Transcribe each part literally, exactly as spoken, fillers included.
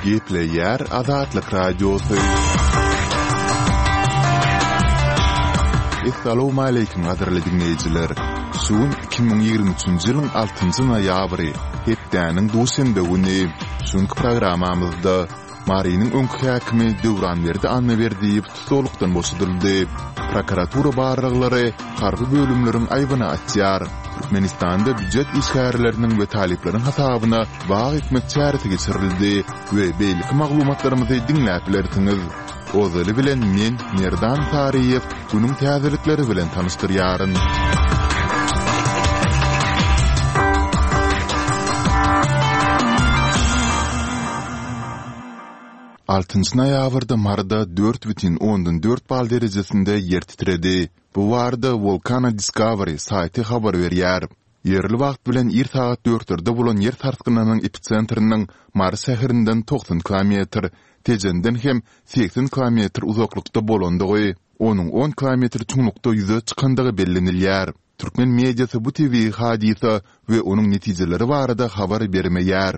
Gepleýär Azatlyk Radiosy. Essalawmaleýkim gadyrly diňleýjiler! Şu gün iki müň ýigrimi üçünji ýylyň altynjy noýabry, hepdäniň duşenbe güni. Şu günki programmamyzda Marynyň öňki häkimi Döwranberdi Annaberdiýew tussaglykdan boşadyldy. Prokuratura barlaglary harby bölümleriň aýbyny açýar. Türkmenistanda býujet işgärleriniň we talyplaryň hasabyna bag ekmek çäresi geçirildi we beýleki maglumatlarymyzy diňläp bilersiňiz. Ozaly bilen men, Merdan Saryýew, günüň täzelikleri bilen tanyşdyrýaryn. Altynjy noýabrda Maryda dört bütin ondan dört bal derejesinde ýer titredi. Bu barada Volcano Discovery saýty habar berýär. Ýerli wagt bilen ir sagat dörtlerde bolan ýer sarsgynynyň episentriniň Mary şäherinden togsan kilometr, Tejenden hem segsen kilometr uzaklykda bolandygy, onuň on kilometr çuňlukda ýüze çykandygy bellenilýär. Türkmen mediasy bu tebigy hadysa we onuň netijeleri barada habar bermeýär.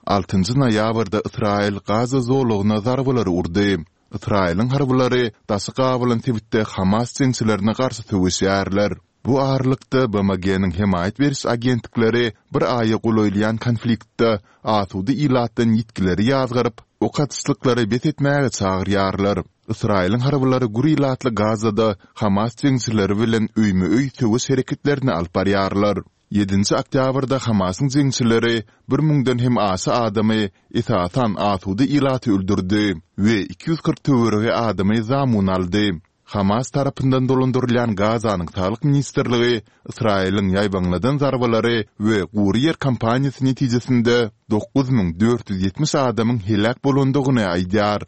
Altynjy noýabrda Ysraýyl Gaza zolagyna zarbalary urdy. Ysraýylyň harbylary daşy gabalan sebitde Hamas jeňçilerine garşy söweşýärler. Bu aralykda, BMG-niň hemaýat beriş agentlikleri bir aýa golaýlaýan konfliktde asuda ilatdan ýitgileri ýazgaryp, ok atyşlyklary bes etmäge çagyrýarlar. Ysraýylyň harbylary gür ilatly Gazada Hamas jeňçileri bilen öýme-öý söweş hereketlerini alyp barýarlar. Ýedinji oktýabrda Hamasyň jeňçileri bir müňden hem aşa adamy, esasan asuda ilaty öldürdi we iki ýüz kyrk töweregi adamy zamun aldy. Hamas tarapyndan dolandyrylýan Gazanyň Saglyk ministrligi Ysraýylyň ýaýbaňladan zarbalary we gury ýer kampaniýasy netijesinde dokuz müň dört ýüz ýetmiş adamyň heläk bolandygyny aýdýar.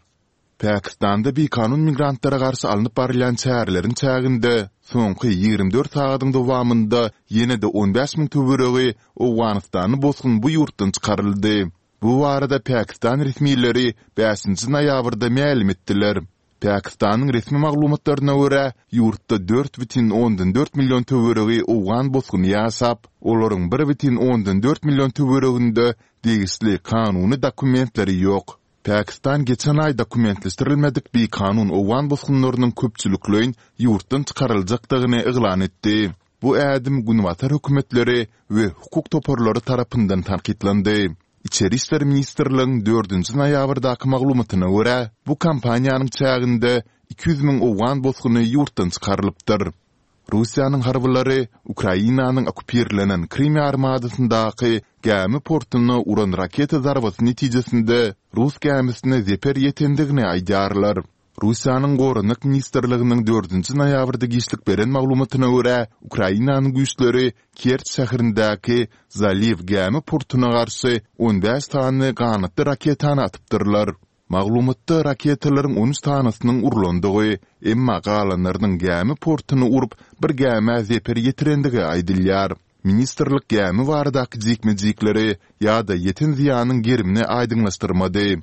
Pakistanda bikanun migrantlara garşy alnyp barylýan çäreleriň çäginde soňky ýigrimi dört sagadyň dowamynda ýene-de on bäş müň töweregi owganystanly bosgun bu ýurtdan çykaryldy. Bu barada pakistan resmileri bäşinji noýabrda mälim etdiler. Pakistanyň resmi maglumatlaryna görä, ýurtda dört bütin ondan dört million töweregi owgan bosguny ýaşap, olaryň bir bütin ondan dört million töwereginde degişli kanuny dokumentleri ýok. Pakistan geçen aý dokumentleşdirilmedik bikanun owgan bosgunlarynyň köpçülikleýin ýurtdan çykaryljakdygyny yglan etdi. Bu ädim günbatar hökümetleri we hukuk toparlary tarapyndan tankytlandy. Içeri işler ministrligiň dördünji noýabrdaky maglumatyna görä, bu kampaniýanyň çäginde iki ýüz müň owgan bosguny ýurtdan çykarylypdyr. Russiýanyň harbylary Ukrainanyň okkupirlenen Krym ýarymadasyndaky gämi portuna uran raketa zarbasy netijesinde rus gämisine zeper ýetendigini aýdýarlar. Russiýanyň Goranmak ministrliginiň dördünji noýabrda giçlik beren maglumatyna görä, Ukrainanyň güýçleri Kerç şäherindäki Zaliw gämi portuna garşy on bäş sany ganatly raketany atypdyrlar. Maglumatda raketalaryň on üç sanysynyň urlandygy, emma galanlarynyň gämi portuny urup, bir gämä zeper ýetirendigi aýdylýar. Ministrlik gämi baradaky jikme-jikleri ýa-da ýeten zyýanyň gerimini aýdyňlaşdyrmady.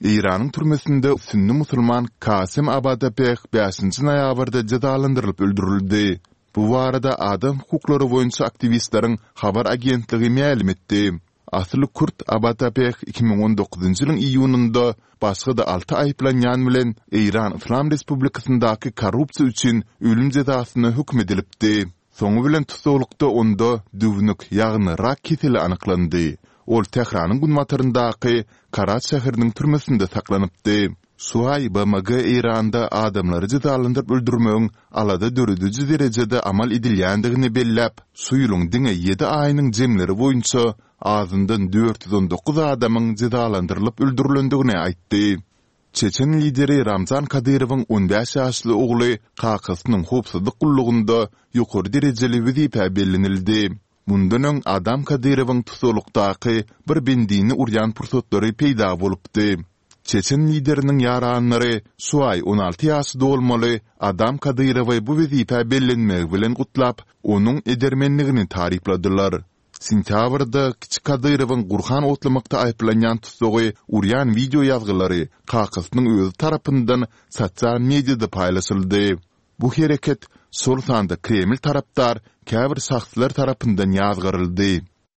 Eýranyň türmesinde sünni musulman Kasem Abadapeh bäşinji noýabrda jezalandyrylyp öldürildi. Bu barada adam hukuklary boýunça aktiwistleriň habar agentligi mälim etdi. Asyly kürt Abatapeh iki müň on dokuzynjy ýylyň iýunynda başga-da alty aýyplanýan bilen Eýran Yslam Respublikasyndaky korrupsiýa üçin ölüm jezasyna höküm edilipdi. Soňy bilen tussaglykda onda düwnük, ýagny rak keseli anyklandy. Ol Tähranyň günbataryndaky Karaj şäheriniň türmesinde saklanypdy. Şu aý BMG Eýranda adamlary jezalandyryp öldürmegiň alada dörediji derejede amal edilýändigini belläp, şu ýylyň diňe ýedi aýynyň jemleri boýunça azyndan dört ýüz on dokuz adamyň jezalandyrylyp öldürilendigini aýtdy. Çeçen lideri Ramzan Kadyrowyň on bäş ýaşly ogly kakasynyň howpsuzlyk gullugynda ýokary derejeli wezipä bellenildi. Mundan öň Adam Kadyrowyň tussaglykdaky bir bendini urýan pursatlary peýda bolupdy. Çeçen lideriniň ýaranlary şu aý on alty ýaşy dolmaly Adam Kadyrowy bu wezipä bellenmegi bilen gutlap, onuň edermenligini tarypladylar. Sentýabrda kiçi Kadyrowyň Gurhan otlamakda aýyplanýan tussagy urýan wideo ýazgylary kakasynyň özi tarapyndan sosial mediada paýlaşyldy. Bu hereket, şol sanda Kreml tarapdar käbir şahslar tarapyndan ýazgaryldy.